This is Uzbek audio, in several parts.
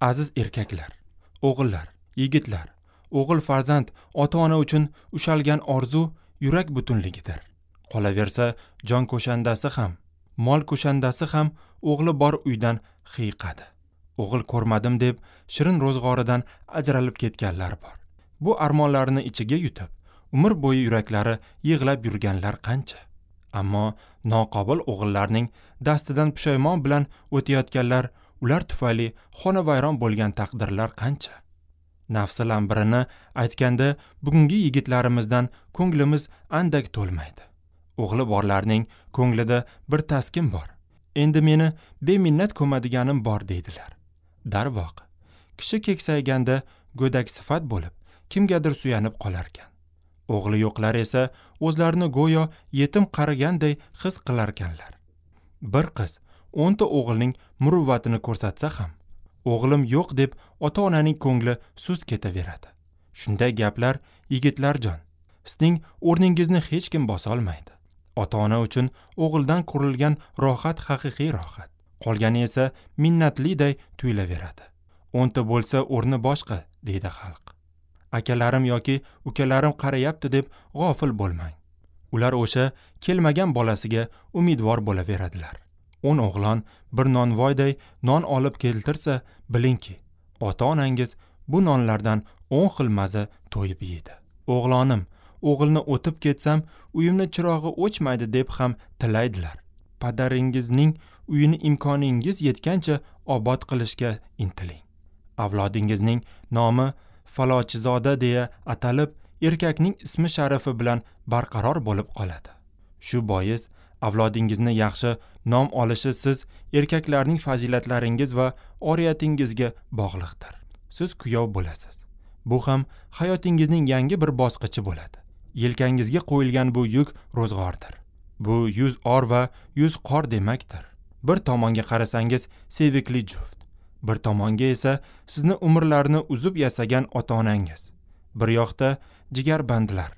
Aziz erkaklar, o'g'illar, yigitlar, o'g'il farzand ota-ona uchun ushalgan orzu yurak butunligidir. Qolaversa, jon ko'shandasi ham, mol ko'shandasi ham o'g'li bor uydan xiyiqadi. O'g'il ko'rmadim deb shirin ro'zg'oridan ajralib ketganlar bor. Bu armonlarni ichiga yutib, umr bo'yi yuraklari yig'lab yurganlar qancha. Ammo noqobil o'g'illarning dastidan pushaymon bilan o'tayotganlar, ular tufayli xonavayron bo'lgan taqdirlar qancha. Nafsi lambirini aytganda bugungi yigitlarimizdan ko'nglimiz andak to'lmaydi. O'g'li borlarning ko'nglida bir taskin bor. Endi meni beminnat ko'madiganim bor deydilar. Darvoqe, kishi keksayganda go'dak sifat bo'lib, kimgadir suyanib qolarkan. O'g'li yo'qlar esa o'zlarini go'yo yetim qariganday his qilarkanlar. Bir qiz 10 ta o'g'ilning muruvvatini ko'rsatsa ham, o'g'lim yo'q deb ota-onaning ko'ngli sust ketaveradi. Shunday gaplar, yigitlarjon, sizning o'rningizni hech kim bosa olmaydi. Ota-ona uchun o'g'ildan qurilgan rohat haqiqiy rohat. Qolgani esa minnatliday tuyulaveradi. 10 ta bo'lsa o'rni boshqa, deydi xalq. Akalarim yoki ukalarim qarayapti deb g'ofil bo'lmang. Ular o'sha kelmagan bolasiga umidvor bo'laveradilar. 10 o'g'lon bir nonvoyday non olib keltirsa, bilingki, ota-onangiz bu nonlardan 10 xil maza to'yib yeydi. O'g'lonim, o'g'ilni o'tib ketsam, uyimni chirog'i o'chmaydi deb ham tilaydilar. Padaringizning uyini imkoningiz yetgancha obod qilishga intiling. Avlodingizning nomi falochizoda deya atalib, erkakning ismi sharifi bilan barqaror bo'lib qoladi. Shu bois avlodingizni yaxshi nom olishi siz erkaklarning fazilatlaringiz va oriyatingizga bog'liqdir. Siz kuyov bo'lasiz. Bu ham hayotingizning yangi bir bosqichi bo'ladi. Yelkangizga qo'yilgan bu yuk ro'zg'ordir. Bu 100 or va 100 qor demakdir. Bir tomonga qarasangiz sevikli juft, bir tomonga esa sizni umrlarini uzib yasagan ota-onangiz. Bir yoqda jigarbandlar.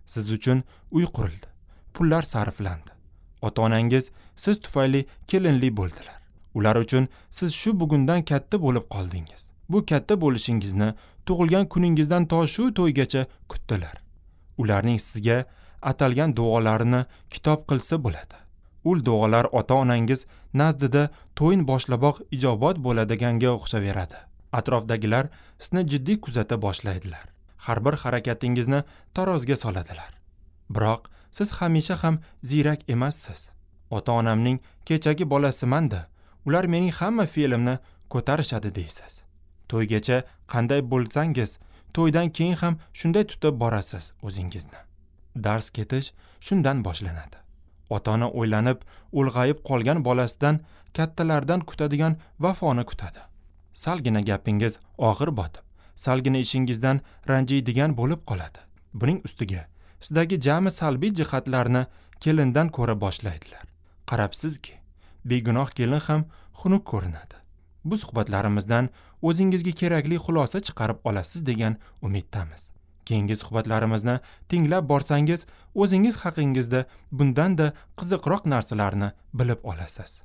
Siz uchun uy qurildi, pullar sarflandi. Ota-onangiz siz tufayli kelinli bo'ldilar. Ular uchun siz shu bugundan katta bo'lib qoldingiz. Bu katta bo'lishingizni tug'ilgan kuningizdan to shu to'ygacha kutdilar. Ularning sizga atalgan duolarini kitob qilsa bo'ladi. Ul duolar ota-onangiz nazdida to'yin boshlaboq ijobat bo'ladiganga o'xshaveradi. Atrofdagilar sizni jiddiy kuzata boshlaydilar. Har bir harakatingizni tarozga soladilar. Biroq siz hamisha ham ziyrak emassiz. Ota-onamning kechagi bolasiman-da, ular mening hamma fe'limni ko'tarishadi deysiz. To'ygacha qanday bo'lsangiz, to'ydan keyin ham shunday tutib borasiz o'zingizni. Dars ketish shundan boshlanadi. Ota-ona o'ylanib, ulg'ayib qolgan bolasidan kattalardan kutadigan vafoni kutadi. Salgina gapingiz og'ir botib, salgina ishingizdan ranjiydigan bo'lib qoladi. Buning ustiga sizdagi jami salbiy jihatlarni kelindan ko'ra boshlaydilar. Qarabsizki, begunoh kelin ham xunuk ko'rinadi. Bu suhbatlarimizdan o'zingizga kerakli xulosa chiqarib olasiz degan umiddamiz. Keyingi suhbatlarimizni tinglab borsangiz, o'zingiz haqingizda bundan-da qiziqroq narsalarni bilib olasiz.